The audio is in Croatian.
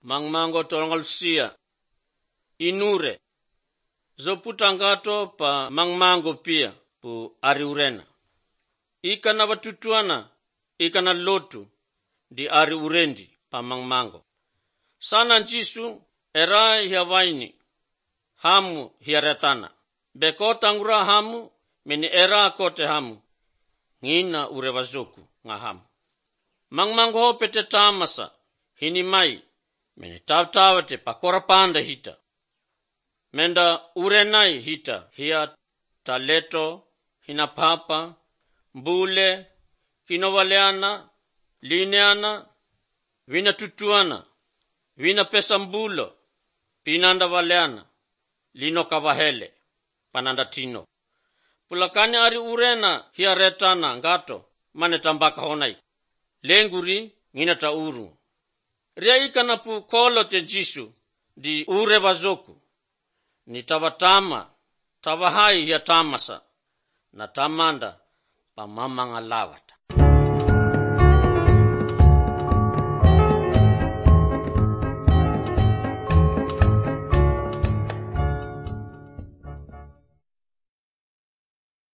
mangmango tolongal sia inure zo putangato pa mangmango pia pu ari urena ika na watutuana ika na lotu di ari urendi pa mangmango sana njisu era hiya waini hamu hiya retana bekota ngura hamu meni era kote hamu ngina urewazoku nga hamu mangmango ho pete tamasa hini mai meni tawtawate pakora panda hita menda urenai hita hiya taleto hina papa mbule kinovaleana lineana vina tutuana vina pesa mbulo pinanda valeana lino kavahele pananda tino pulakani ari urena hiya retana ngato mane tambaka honai lenguri ngina ta uru ria ikana pu kolo te jisu di ure wazoku ni tabatama tabahai hiya tamasa na tamanda pa mama ngalawata